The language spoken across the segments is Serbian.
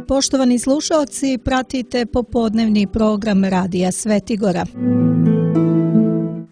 Poštovani slušaoci, pratite popodnevni program Radija Svetigora.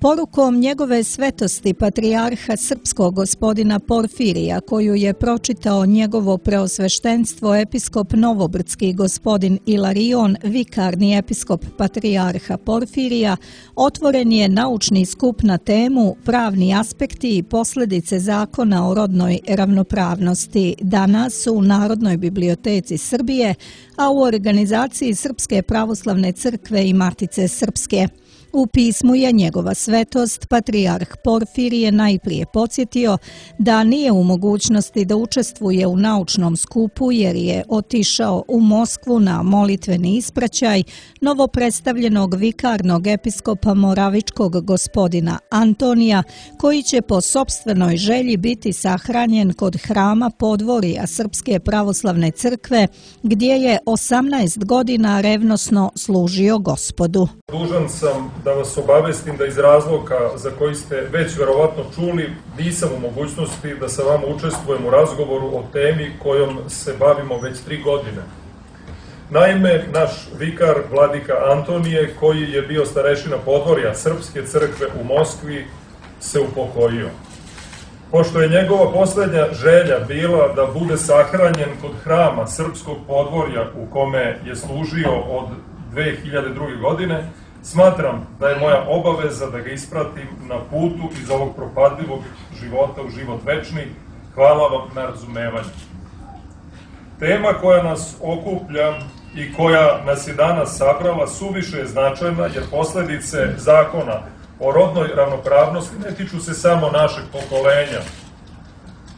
Porukom njegove svetosti patrijarha srpskog gospodina Porfirija, koju je pročitao njegovo preosveštenstvo episkop novobrdski gospodin Ilarion, vikarni episkop patrijarha Porfirija, otvoren je naučni skup na temu Pravni aspekti i posljedice zakona o rodnoj ravnopravnosti danas u Narodnoj biblioteci Srbije, a u organizaciji Srpske pravoslavne crkve i Matice Srpske. U pismu je njegova svetost, patrijarh Porfirije, najprije podsjetio da nije u mogućnosti da učestvuje u naučnom skupu jer je otišao u Moskvu na molitveni ispraćaj novopredstavljenog vikarnog episkopa moravičkog gospodina Antonija, koji će po sopstvenoj želji biti sahranjen kod hrama podvorija Srpske pravoslavne crkve, gdje je 18 godina revnosno služio Gospodu. Dužan sam da vas obavestim da iz razloga za koji ste već verovatno čuli, nisam u mogućnosti da sa vama učestvujem u razgovoru o temi kojom se bavimo već 3 godine. Naime, naš vikar vladika Antonije, koji je bio starešina podvorja Srpske crkve u Moskvi, se upokojio. Pošto je njegova posljednja želja bila da bude sahranjen kod hrama Srpskog podvorja u kome je služio od 2002. godine, smatram da je moja obaveza da ga ispratim na putu iz ovog propadljivog života u život večni. Hvala vam na razumevanju. Tema koja nas okuplja i koja nas je danas sabrala suviše je značajna jer posljedice zakona o rodnoj ravnopravnosti ne tiču se samo našeg pokolenja.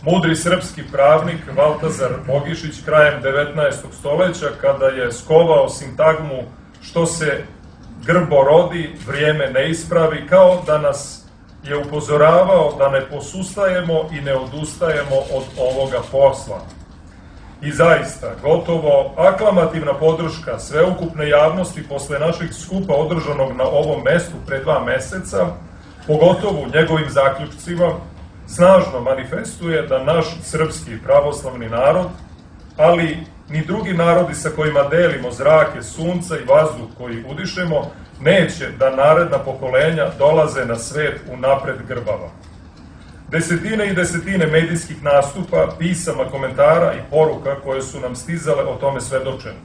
Mudri srpski pravnik Valtazar Bogišić krajem 19. stoljeća, kada je skovao sintagmu što se grbo rodi, vrijeme ne ispravi, kao da nas je upozoravao da ne posustajemo i ne odustajemo od ovoga posla. I zaista, gotovo aklamativna podrška sveukupne javnosti posle našeg skupa održanog na ovom mestu pre 2 meseca, pogotovo njegovim zaključcima, snažno manifestuje da naš srpski pravoslavni narod, ali ni drugi narodi sa kojima delimo zrake, sunca i vazduh koji udišemo, neće da naredna pokolenja dolaze na svet unapred grbava. Desetine i desetine medijskih nastupa, pisama, komentara i poruka koje su nam stizale o tome svedočene.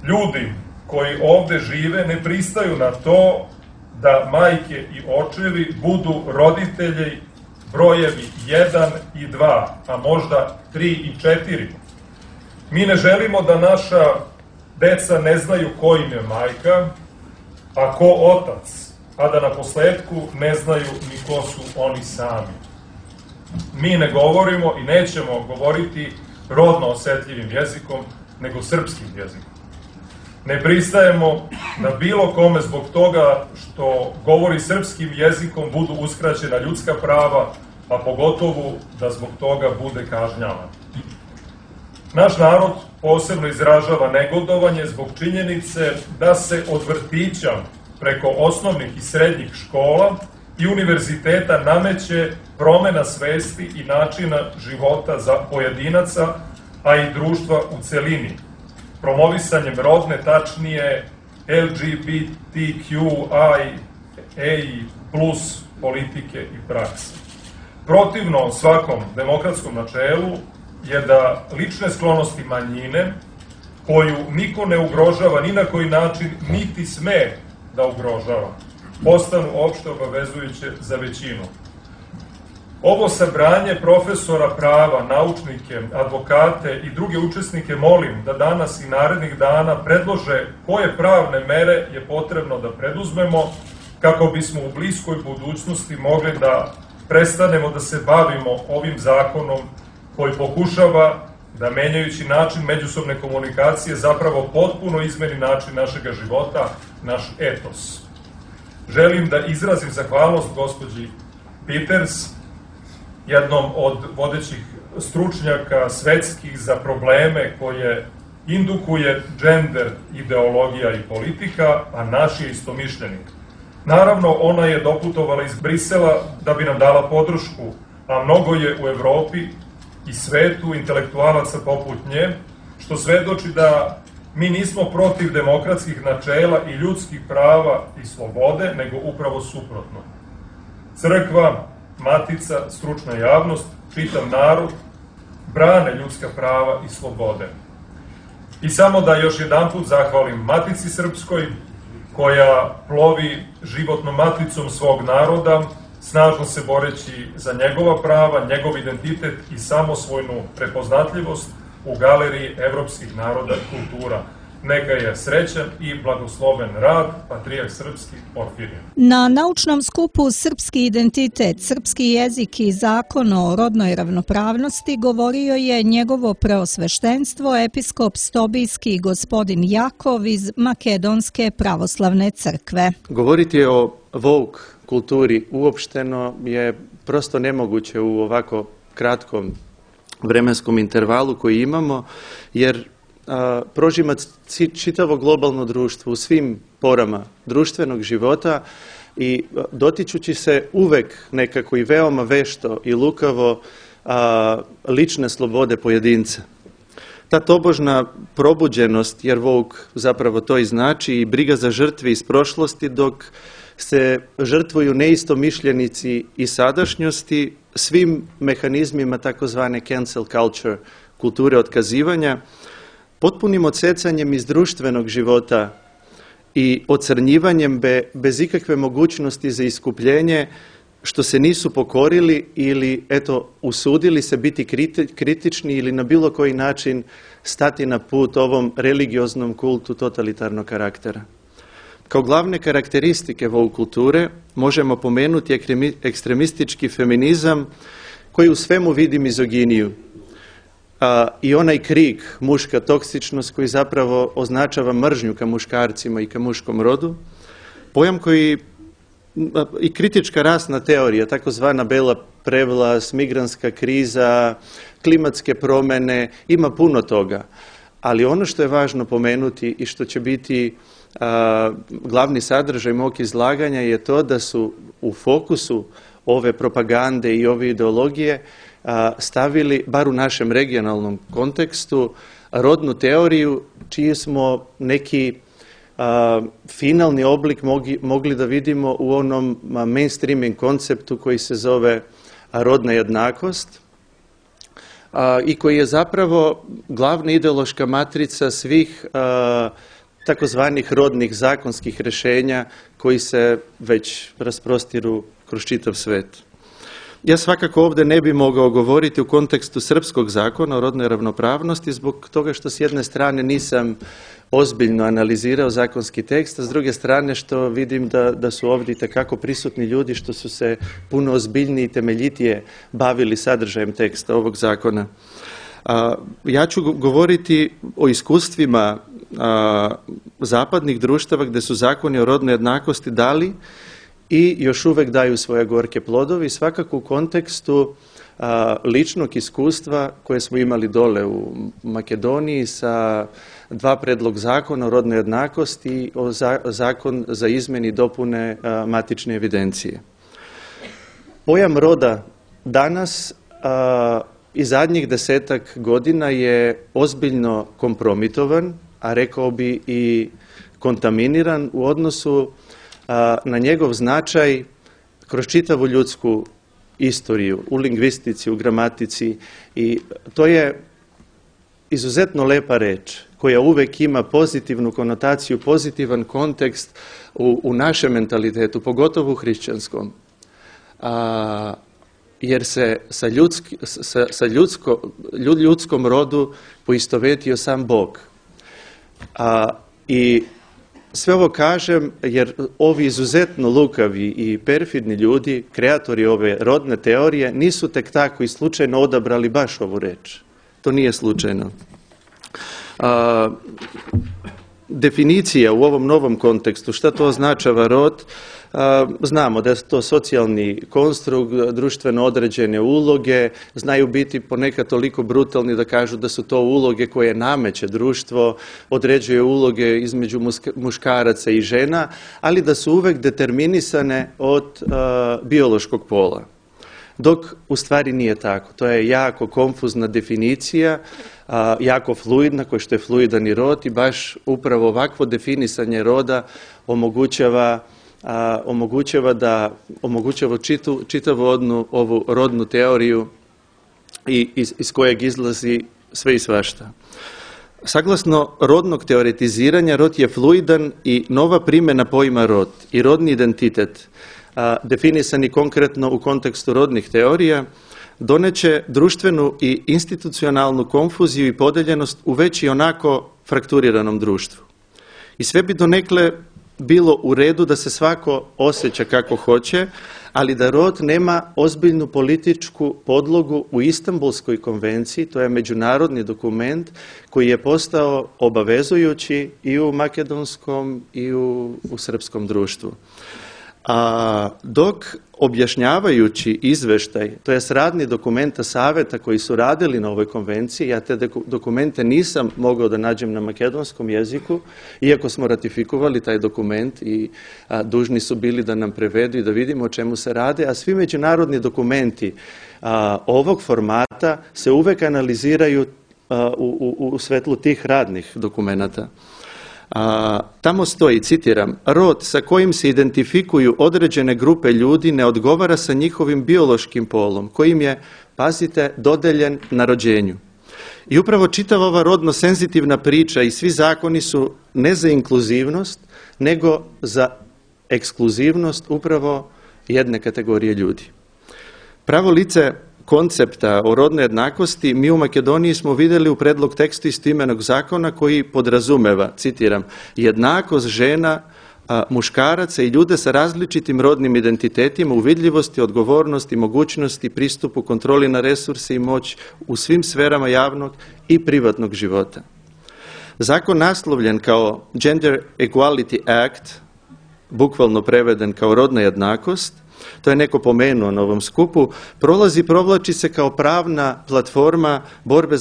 Ljudi koji ovde žive ne pristaju na to da majke i očevi budu roditelji brojevi 1 i 2, a možda 3 i 4. Mi ne želimo da naša deca ne znaju ko im je majka, a ko otac, a da na posledku ne znaju ni ko su oni sami. Mi ne govorimo i nećemo govoriti rodno osetljivim jezikom, nego srpskim jezikom. Ne pristajemo da bilo kome zbog toga što govori srpskim jezikom budu uskraćena ljudska prava, a pogotovo da zbog toga bude kažnjavan. Naš narod posebno izražava negodovanje zbog činjenice da se od vrtića preko osnovnih i srednjih škola i univerziteta nameće promena svesti i načina života za pojedinaca, a i društva u celini, promovisanjem rodne, tačnije LGBTQIA+ politike i prakse. Protivno svakom demokratskom načelu je da lične sklonosti manjine, koju niko ne ugrožava ni na koji način, niti sme da ugrožava, postanu opšte obavezujuće za većinu. Ovo sabranje profesora prava, naučnike, advokate i druge učesnike molim da danas i narednih dana predlože koje pravne mere je potrebno da preduzmemo kako bismo u bliskoj budućnosti mogli da prestanemo da se bavimo ovim zakonom koji pokušava da, menjajući način međusobne komunikacije, zapravo potpuno izmeni način našega života, naš etos. Želim da izrazim zahvalnost gospođi Peters, jednom od vodećih stručnjaka svetskih za probleme koje indukuje gender, ideologija i politika, a naš je istomišljenik. Naravno, ona je doputovala iz Brisela da bi nam dala podršku, a mnogo je u Evropi i svetu intelektualaca poput nje, što svedoči da mi nismo protiv demokratskih načela i ljudskih prava i slobode, nego upravo suprotno. Crkva, matica, stručna javnost, čitav narod brane ljudska prava i slobode. I samo da još jedanput zahvalim Matici Srpskoj, koja plovi životnom maticom svog naroda, snažno se boreći za njegova prava, njegov identitet i samosvojnu prepoznatljivost u galeriji evropskih naroda i kultura. Neka je srećan i blagosloven rad, Patrijarh Srpski Porfirije. Na naučnom skupu Srpski identitet, srpski jezik i zakon o rodnoj ravnopravnosti govorio je njegovo preosveštenstvo episkop Stobijski gospodin Jakov iz Makedonske pravoslavne crkve. Govoriti o woke kulturi uopšteno je prosto nemoguće u ovako kratkom vremenskom intervalu koji imamo, jer prožima čitavo globalno društvo u svim porama društvenog života i dotičući se uvek nekako i veoma vešto i lukavo lične slobode pojedinca. Ta tobožna probuđenost, jer woke zapravo to i znači, i briga za žrtve iz prošlosti, dok se žrtvuju neistomišljenici i sadašnjosti svim mehanizmima takozvane cancel culture, kulture otkazivanja, potpunim odsecanjem iz društvenog života i ocrnjivanjem bez ikakve mogućnosti za iskupljenje, što se nisu pokorili ili usudili se biti kritični ili na bilo koji način stati na put ovom religioznom kultu totalitarnog karaktera. Kao glavne karakteristike woke kulture možemo pomenuti ekstremistički feminizam koji u svemu vidi mizoginiju, i onaj krik, muška toksičnost, koji zapravo označava mržnju ka muškarcima i ka muškom rodu, pojam koji i kritička rasna teorija, takozvana bela prevlast, migrantska kriza, klimatske promjene, ima puno toga. Ali ono što je važno pomenuti i što će biti glavni sadržaj mog izlaganja je to da su u fokusu ove propagande i ove ideologije stavili, bar u našem regionalnom kontekstu, rodnu teoriju čiji smo neki finalni oblik mogli da vidimo u onom mainstreaming konceptu koji se zove rodna jednakost i koji je zapravo glavna ideološka matrica svih takozvanih rodnih zakonskih rješenja koji se već rasprostiru kroz čitav svet. Ja svakako ovdje ne bi mogao govoriti u kontekstu srpskog zakona o rodnoj ravnopravnosti zbog toga što s jedne strane nisam ozbiljno analizirao zakonski tekst, a s druge strane što vidim da su ovdje itekako prisutni ljudi što su se puno ozbiljnije i temeljitije bavili sadržajem teksta ovog zakona. Ja ću govoriti o iskustvima zapadnih društava gdje su zakoni o rodnoj jednakosti dali i još uvek daju svoje gorke plodove, svakako u kontekstu ličnog iskustva koje smo imali dole u Makedoniji sa 2 predlog zakona o rodnoj jednakosti i zakon za izmjene i dopune matične evidencije. Pojam roda danas i zadnjih 10 godina je ozbiljno kompromitovan, a rekao bi i kontaminiran u odnosu na njegov značaj kroz čitavu ljudsku istoriju, u lingvistici, u gramatici, i to je izuzetno lepa reč koja uvek ima pozitivnu konotaciju, pozitivan kontekst u našem mentalitetu, pogotovo u hrišćanskom. Jer se sa ljudskom rodu poistovetio sam Bog. I sve ovo kažem jer ovi izuzetno lukavi i perfidni ljudi, kreatori ove rodne teorije, nisu tek tako i slučajno odabrali baš ovu reč. To nije slučajno. Definicija u ovom novom kontekstu, šta to označava rod, znamo da je to socijalni konstrukt, društveno određene uloge, znaju biti ponekad toliko brutalni da kažu da su to uloge koje nameće društvo, određuje uloge između muškaraca i žena, ali da su uvek determinisane od biološkog pola. dok u stvari nije tako. To je jako konfuzna definicija, jako fluidna, kao što je fluidan i rod, i baš upravo ovakvo definisanje roda omogućava čitavu ovu rodnu teoriju iz kojeg izlazi sve i svašta. Saglasno rodnog teoretiziranja, rod je fluidan i nova primjena pojma rod i rodni identitet, definisani konkretno u kontekstu rodnih teorija, doneće društvenu i institucionalnu konfuziju i podeljenost u već i onako frakturiranom društvu. I sve bi donekle bilo u redu da se svako osjeća kako hoće, ali da rod nema ozbiljnu političku podlogu u Istanbulskoj konvenciji, to je međunarodni dokument koji je postao obavezujući i u makedonskom i u srpskom društvu. Dok objašnjavajući izveštaj, to jest radni dokumenta saveta koji su radili na ovoj konvenciji, ja te dokumente nisam mogao da nađem na makedonskom jeziku, iako smo ratifikovali taj dokument i dužni su bili da nam prevedu i da vidimo o čemu se rade, a svi međunarodni dokumenti ovog formata se uvek analiziraju u svetlu tih radnih dokumenata. Tamo stoji, citiram, rod sa kojim se identifikuju određene grupe ljudi ne odgovara sa njihovim biološkim polom, kojim je, pazite, dodeljen na rođenju. I upravo čitava ova rodno senzitivna priča i svi zakoni su ne za inkluzivnost, nego za ekskluzivnost upravo jedne kategorije ljudi. Pravo lice koncepta o rodnoj jednakosti mi u Makedoniji smo vidjeli u predlog tekstu istoimenog zakona koji podrazumeva, citiram, jednakost žena, muškaraca i ljude sa različitim rodnim identitetima u vidljivosti, odgovornosti, mogućnosti, pristupu, kontroli na resurse i moć u svim sferama javnog i privatnog života. Zakon naslovljen kao Gender Equality Act, bukvalno preveden kao rodna jednakost, to je neko pomenuo na ovom skupu, provlači se kao pravna platforma borbe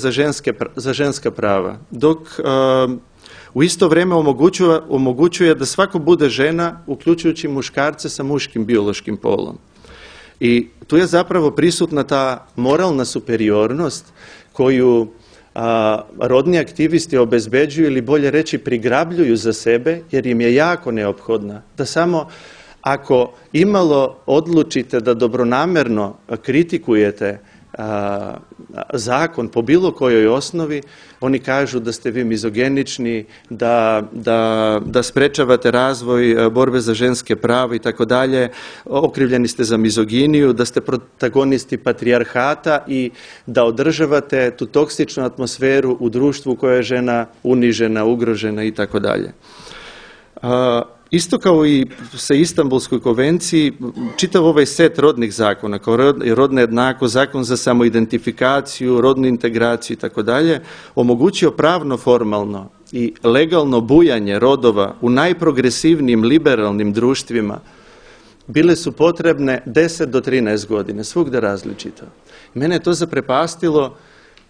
za ženska prava, dok u isto vrijeme omogućuje da svako bude žena, uključujući muškarce sa muškim biološkim polom. I tu je zapravo prisutna ta moralna superiornost koju rodni aktivisti obezbeđuju ili bolje reći prigrabljuju za sebe, jer im je jako neophodna da samo ako imalo odlučite da dobronamerno kritikujete zakon po bilo kojoj osnovi, oni kažu da ste vi mizogenični, da sprečavate razvoj borbe za ženske prava i tako dalje, okrivljeni ste za mizoginiju, da ste protagonisti patrijarhata i da održavate tu toksičnu atmosferu u društvu u kojoj je žena unižena, ugrožena i tako dalje. Isto kao i sa Istanbulskoj konvenciji, čitav ovaj set rodnih zakona, kao rodna jednakost, zakon za samoidentifikaciju, rodnu integraciju i tako dalje, omogućio pravno, formalno i legalno bujanje rodova u najprogresivnijim liberalnim društvima, bile su potrebne 10 do 13 godina, svugde različito. Mene je to zaprepastilo,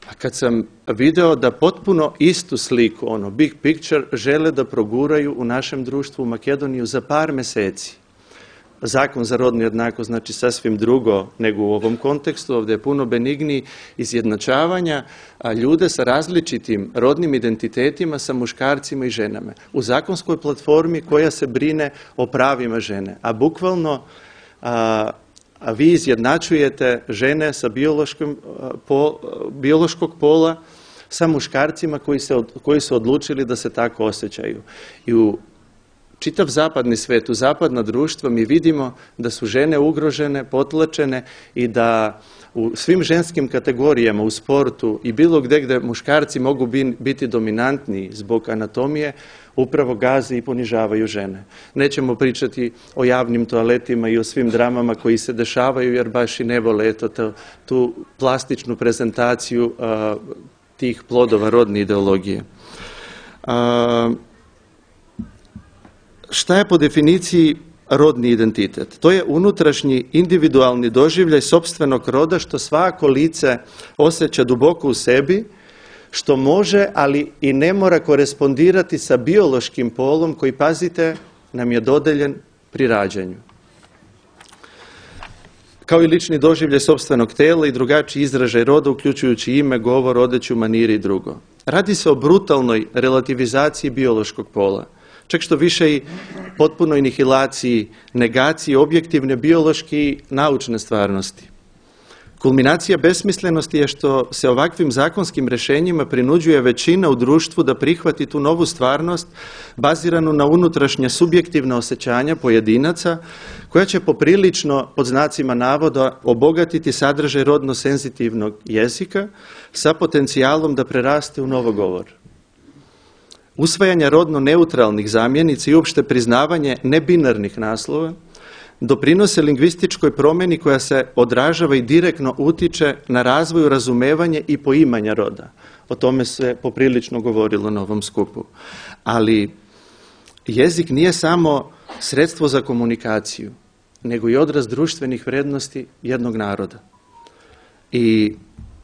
a kad sam video da potpuno istu sliku, ono big picture, žele da proguraju u našem društvu u Makedoniju za par meseci. Zakon za rodnu jednakost znači sasvim drugo nego u ovom kontekstu, ovdje je puno benigniji, izjednačavanja ljude sa različitim rodnim identitetima sa muškarcima i ženama u zakonskoj platformi koja se brine o pravima žene, a bukvalno vi izjednačujete žene sa biološkog pola sa muškarcima koji su odlučili da se tako osjećaju. I u čitav zapadni svet, u zapadna društva mi vidimo da su žene ugrožene, potlačene i da u svim ženskim kategorijama, u sportu i bilo gdje muškarci mogu biti dominantniji zbog anatomije, upravo gaze i ponižavaju žene. Nećemo pričati o javnim toaletima i o svim dramama koji se dešavaju, jer baš i ne vole tu plastičnu prezentaciju tih plodova rodne ideologije. Šta je po definiciji rodni identitet? To je unutrašnji individualni doživljaj sopstvenog roda što svako lice osjeća duboko u sebi, što može, ali i ne mora korespondirati sa biološkim polom koji, pazite, nam je dodeljen pri rađanju. kao i lični doživljaj sopstvenog tela i drugačiji izražaj roda, uključujući ime, govor, odeću, manire i drugo. Radi se o brutalnoj relativizaciji biološkog pola, čak što više i potpunoj nihilaciji, negaciji objektivne biološke i naučne stvarnosti. Kulminacija besmislenosti je što se ovakvim zakonskim rješenjima prinuđuje većina u društvu da prihvati tu novu stvarnost baziranu na unutrašnja subjektivna osjećanja pojedinaca koja će poprilično, pod znacima navoda, obogatiti sadržaj rodno senzitivnog jezika sa potencijalom da preraste u novogovor. Usvajanje rodno neutralnih zamjenica i uopšte priznavanje nebinarnih naslova doprinose lingvističkoj promjeni koja se odražava i direktno utiče na razvoju, razumevanje i poimanja roda. O tome se poprilično govorilo na ovom skupu. Ali jezik nije samo sredstvo za komunikaciju, nego i odraz društvenih vrijednosti jednog naroda. I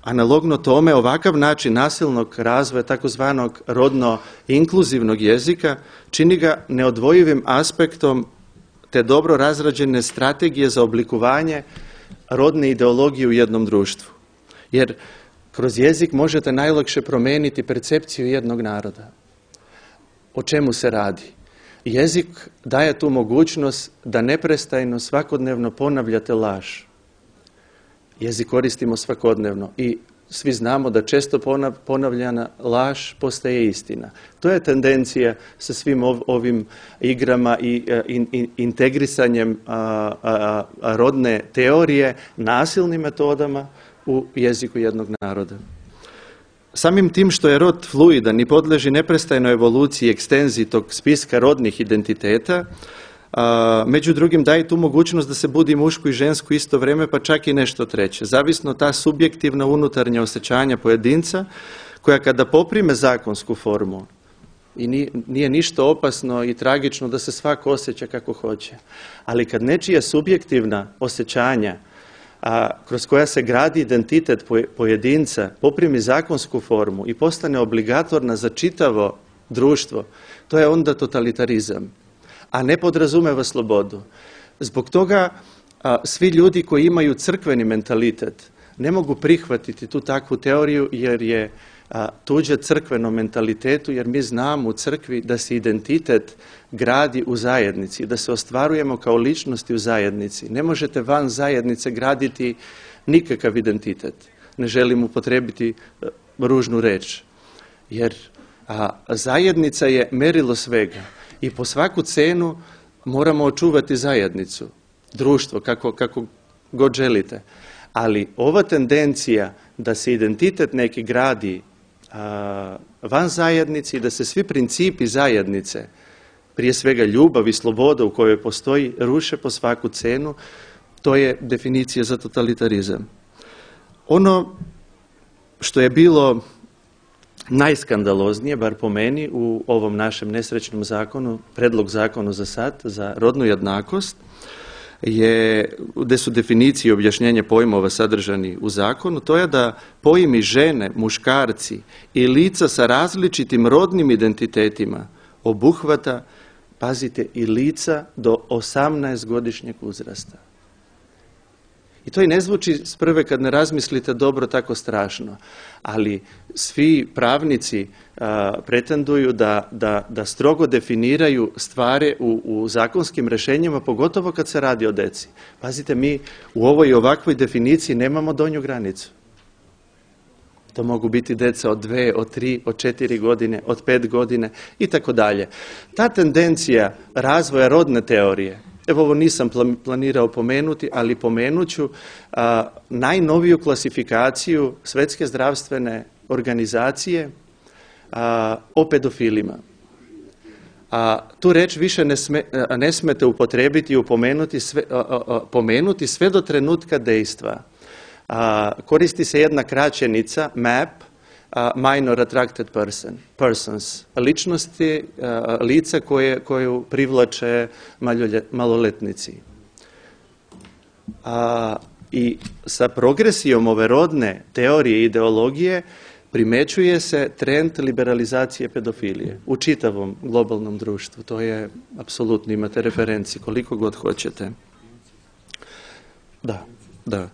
analogno tome ovakav način nasilnog razvoja takozvanog rodno inkluzivnog jezika čini ga neodvojivim aspektom te dobro razrađene strategije za oblikovanje rodne ideologije u jednom društvu. Jer kroz jezik možete najlakše promijeniti percepciju jednog naroda. O čemu se radi? Jezik daje tu mogućnost da neprestajno svakodnevno ponavljate laž. Jezik koristimo svakodnevno i svi znamo da često ponavljana laž postaje istina. To je tendencija sa svim ovim igrama i integrisanjem rodne teorije nasilnim metodama u jeziku jednog naroda. Samim tim što je rod fluidan i podleži neprestajnoj evoluciji i ekstenziji tog spiska rodnih identiteta, među drugim daje tu mogućnost da se budi muško i žensko isto vrijeme, pa čak i nešto treće. Zavisno ta subjektivna unutarnja osjećanja pojedinca koja kada poprime zakonsku formu, i nije ništa opasno i tragično da se svako osjeća kako hoće, ali kad nečija subjektivna osjećanja kroz koja se gradi identitet pojedinca poprimi zakonsku formu i postane obligatorna za čitavo društvo, to je onda totalitarizam, a ne podrazumeva slobodu. Zbog toga svi ljudi koji imaju crkveni mentalitet ne mogu prihvatiti tu takvu teoriju jer je tuđa crkvenom mentalitetu, jer mi znamo u crkvi da se identitet gradi u zajednici, da se ostvarujemo kao ličnosti u zajednici. Ne možete van zajednice graditi nikakav identitet. Ne želim upotrijebiti ružnu reč, jer zajednica je merilo svega i po svaku cenu moramo očuvati zajednicu, društvo, kako god želite. Ali ova tendencija da se identitet neki gradi van zajednici, da se svi principi zajednice, prije svega ljubav i sloboda u kojoj postoji, ruše po svaku cenu, to je definicija za totalitarizam. Ono što je bilo najskandaloznije, bar po meni, u ovom našem nesrećnom zakonu, predlog zakonu za sad, za rodnu jednakost, gdje su definicije i objašnjenje pojmova sadržani u zakonu, to je da pojmi žene, muškarci i lica sa različitim rodnim identitetima obuhvata, pazite, i lica do 18-godišnjeg uzrasta. I to i ne zvuči s prve kad ne razmislite dobro tako strašno, ali svi pravnici pretenduju da strogo definiraju stvari u zakonskim rješenjima, pogotovo kad se radi o deci. Pazite, mi u ovoj i ovakvoj definiciji nemamo donju granicu. To mogu biti deca od 2, od 3, od 4 godine, od 5 godine i tako dalje. Ta tendencija razvoja rodne teorije, evo ovo nisam planirao pomenuti, ali pomenut ću najnoviju klasifikaciju Svjetske zdravstvene organizacije o pedofilima. Tu reč više ne smete upotrijebiti i pomenuti sve do trenutka dejstva. Koristi se jedna kraćenica, MAP, minor attracted persons, ličnosti, lica koju privlače maloletnici. I sa progresijom ove rodne teorije i ideologije primećuje se trend liberalizacije pedofilije u čitavom globalnom društvu. To je apsolutno, imate referenci koliko god hoćete. Da. Da.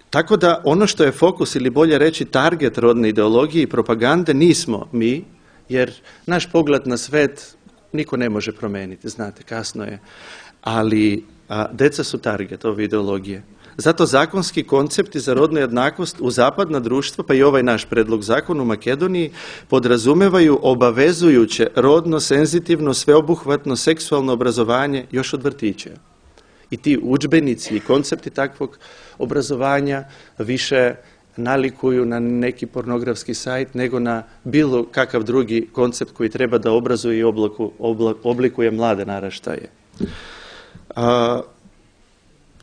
Tako da ono što je fokus ili bolje reći target rodne ideologije i propagande nismo mi, jer naš pogled na svet niko ne može promijeniti, znate, kasno je. Ali deca su target ove ideologije. Zato zakonski koncepti za rodnu jednakost u zapadna društva, pa i ovaj naš predlog zakona u Makedoniji, podrazumevaju obavezujuće rodno, senzitivno, sveobuhvatno, seksualno obrazovanje još od vrtića. I ti udžbenici i koncepti takvog obrazovanja više nalikuju na neki pornografski sajt nego na bilo kakav drugi koncept koji treba da obrazuje i oblikuje mlade naraštaje.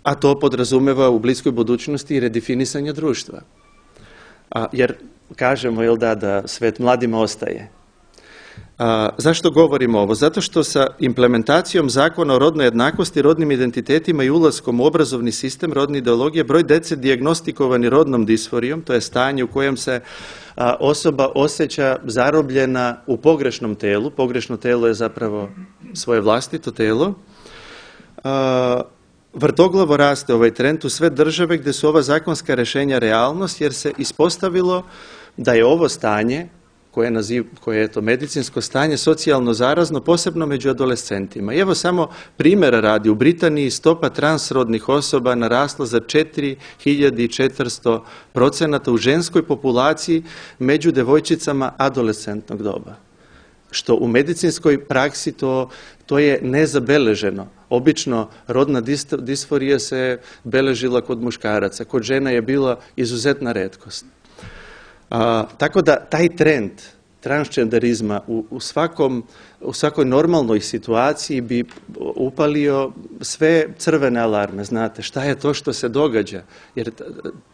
A to podrazumeva u bliskoj budućnosti i redefinisanje društva. Jer kažemo, jel da svet mladima ostaje. Zašto govorimo ovo? Zato što sa implementacijom zakona o rodnoj jednakosti, rodnim identitetima i ulaskom u obrazovni sistem rodne ideologije, broj dece dijagnostikovani rodnom disforijom, to je stanje u kojem se osoba osjeća zarobljena u pogrešnom telu, pogrešno telo je zapravo svoje vlastito telo, vrtoglavo raste ovaj trend u sve države gdje su ova zakonska rješenja realnost, jer se ispostavilo da je ovo stanje koje je to medicinsko stanje socijalno zarazno, posebno među adolescentima. I evo samo primjera radi, u Britaniji stopa transrodnih osoba narasla za 4400% u ženskoj populaciji među devojčicama adolescentnog doba. Što u medicinskoj praksi to je nezabeleženo. Obično rodna disforija se beležila kod muškaraca, kod žena je bila izuzetna retkost. Tako da taj trend transgenderizma u svakoj normalnoj situaciji bi upalio sve crvene alarme. Znate, šta je to što se događa? Jer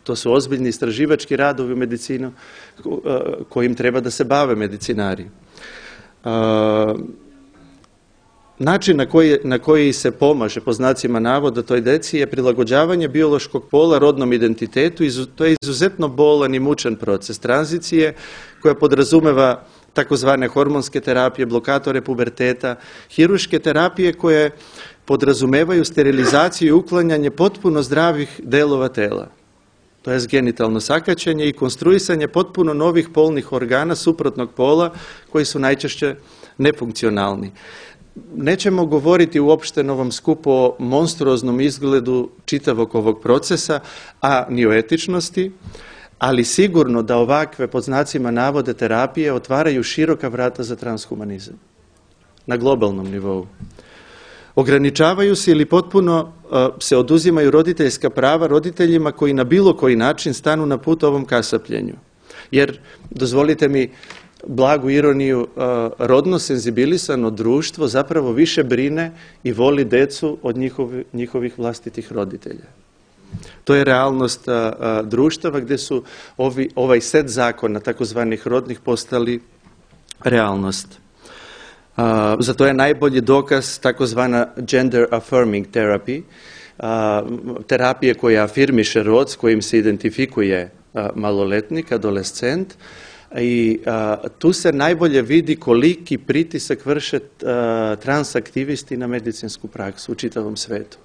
to su ozbiljni istraživački radovi u medicinu kojim treba da se bave medicinari. Način na koji se pomaže, po znacima navoda, toj deci je prilagođavanje biološkog pola rodnom identitetu. To je izuzetno bolan i mučan proces tranzicije koja podrazumeva takozvane hormonske terapije, blokatore puberteta, hirurške terapije koje podrazumevaju sterilizaciju i uklanjanje potpuno zdravih delova tela. To je genitalno sakaćenje i konstruisanje potpuno novih polnih organa suprotnog pola koji su najčešće nefunkcionalni. Nećemo govoriti uopšte na ovom skupu o monstruoznom izgledu čitavog ovog procesa, a ni o etičnosti, ali sigurno da ovakve, pod znacima navode, terapije otvaraju široka vrata za transhumanizam na globalnom nivou. Ograničavaju se ili potpuno se oduzimaju roditeljska prava roditeljima koji na bilo koji način stanu na put ovom kasapljenju. Jer, dozvolite mi blagu ironiju, rodno senzibilisano društvo zapravo više brine i voli decu od njihovih vlastitih roditelja. To je realnost društava gdje su ovaj set zakona, takozvanih rodnih, postali realnost. Za to je najbolji dokaz takozvana gender affirming therapy, terapije koja afirmiše rod s kojim se identifikuje maloletnik, adolescent, i tu se najbolje vidi koliki pritisak vrše transaktivisti na medicinsku praksu u čitavom svetu.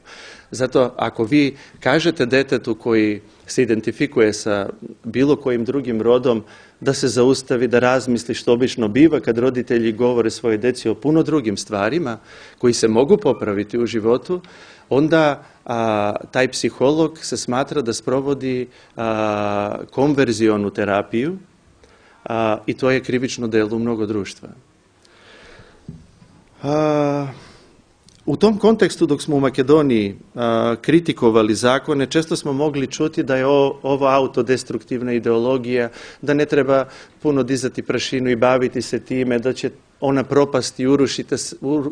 Zato ako vi kažete detetu koji se identifikuje sa bilo kojim drugim rodom da se zaustavi, da razmisli, što obično biva kad roditelji govore svoje deci o puno drugim stvarima koji se mogu popraviti u životu, onda taj psiholog se smatra da sprovodi konverzionu terapiju, i to je krivično delo u mnogo društva. U tom kontekstu, dok smo u Makedoniji kritikovali zakone, često smo mogli čuti da je ovo autodestruktivna ideologija, da ne treba puno dizati prašinu i baviti se time, da će ona propasti i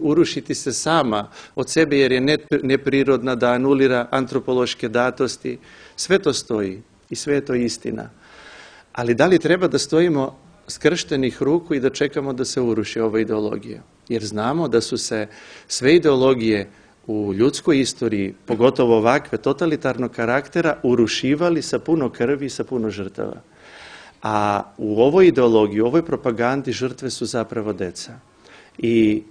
urušiti se sama od sebe jer je neprirodna, da anulira antropološke datosti. Sve to stoji i sve je to istina. Ali da li treba da stojimo skrštenih ruku i da čekamo da se uruši ova ideologija? Jer znamo da su se sve ideologije u ljudskoj istoriji, pogotovo ovakve totalitarnog karaktera, urušivali sa puno krvi i sa puno žrtava. A u ovoj ideologiji, u ovoj propagandi žrtve su zapravo deca. I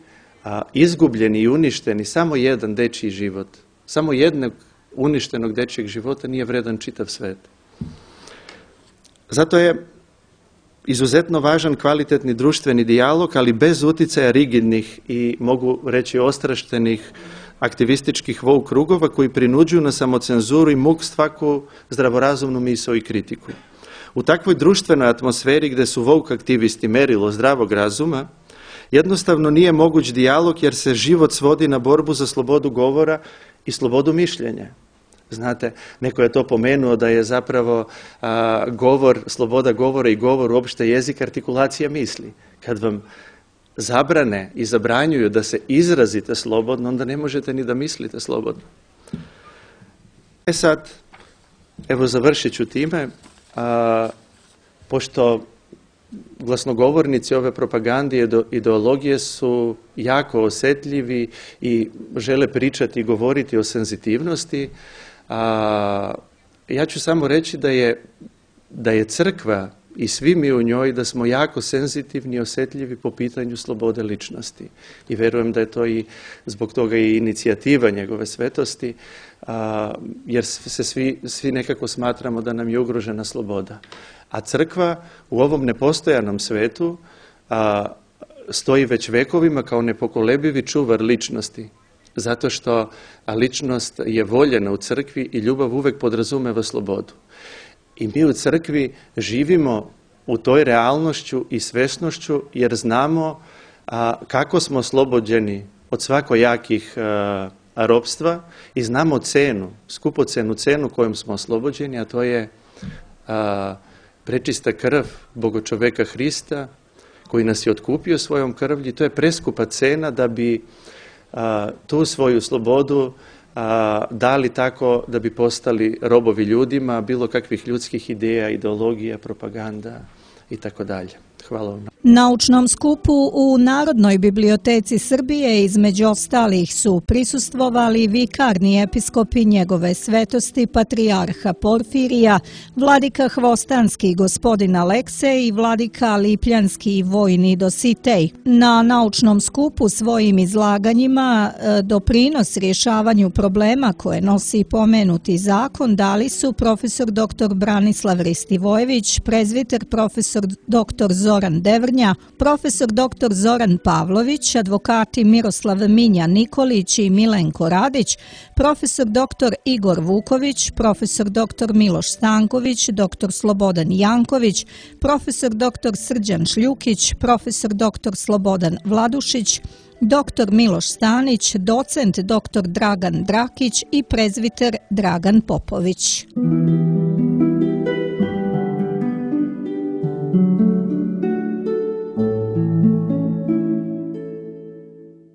izgubljeni i uništeni samo jedan dečiji život, samo jednog uništenog dečjeg života nije vredan čitav svet. Zato je izuzetno važan kvalitetni društveni dijalog, ali bez uticaja rigidnih i, mogu reći, ostraštenih aktivističkih woke krugova koji prinuđuju na samocenzuru i muk svaku zdravorazumnu misao i kritiku. U takvoj društvenoj atmosferi gdje su woke aktivisti merilo zdravog razuma, jednostavno nije moguć dijalog jer se život svodi na borbu za slobodu govora i slobodu mišljenja. Znate, neko je to pomenuo da je zapravo govor, sloboda govora i govor uopšte jezik artikulacija misli. Kad vam zabrane i zabranjuju da se izrazite slobodno, onda ne možete ni da mislite slobodno. Sad, evo završit ću time, pošto glasnogovornici ove propagande i ideologije su jako osjetljivi i žele pričati i govoriti o senzitivnosti, ja ću samo reći da je crkva i svi mi u njoj, da smo jako senzitivni i osjetljivi po pitanju slobode ličnosti. I verujem da je to i zbog toga i inicijativa njegove svetosti, jer se svi nekako smatramo da nam je ugrožena sloboda. A crkva u ovom nepostojanom svetu stoji već vekovima kao nepokolebivi čuvar ličnosti. Zato što ličnost je voljena u crkvi i ljubav uvek podrazumeva slobodu. I mi u crkvi živimo u toj realnošću i svesnošću jer znamo kako smo oslobođeni od svakojakih ropstva i znamo cenu, skupocenu cenu kojom smo oslobođeni, a to je prečista krv Bogočoveka Hrista koji nas je otkupio svojom krvlju. To je preskupa cena da bi tu svoju slobodu dali tako da bi postali robovi ljudima, bilo kakvih ljudskih ideja, ideologija, propaganda i tako dalje. Hvala vam. Naučnom skupu u Narodnoj biblioteci Srbije između ostalih su prisustvovali vikarni episkopi njegove svetosti patrijarha Porfirija, vladika Hvostanski gospodin Aleksej i vladika Lipljanski vojni Dositej. Na naučnom skupu svojim izlaganjima doprinos rješavanju problema koje nosi pomenuti zakon dali su profesor dr. Branislav Ristivojević, prezviter profesor dr. Zoran Devrnja, profesor dr. Zoran Pavlović, advokati Miroslav Minja Nikolić i Milenko Radić, profesor dr. Igor Vuković, profesor dr. Miloš Stanković, dr. Slobodan Janković, profesor dr. Srđan Šljukić, profesor dr. Slobodan Vladušić, dr. Miloš Stanić, docent dr. Dragan Drakić i prezviter Dragan Popović.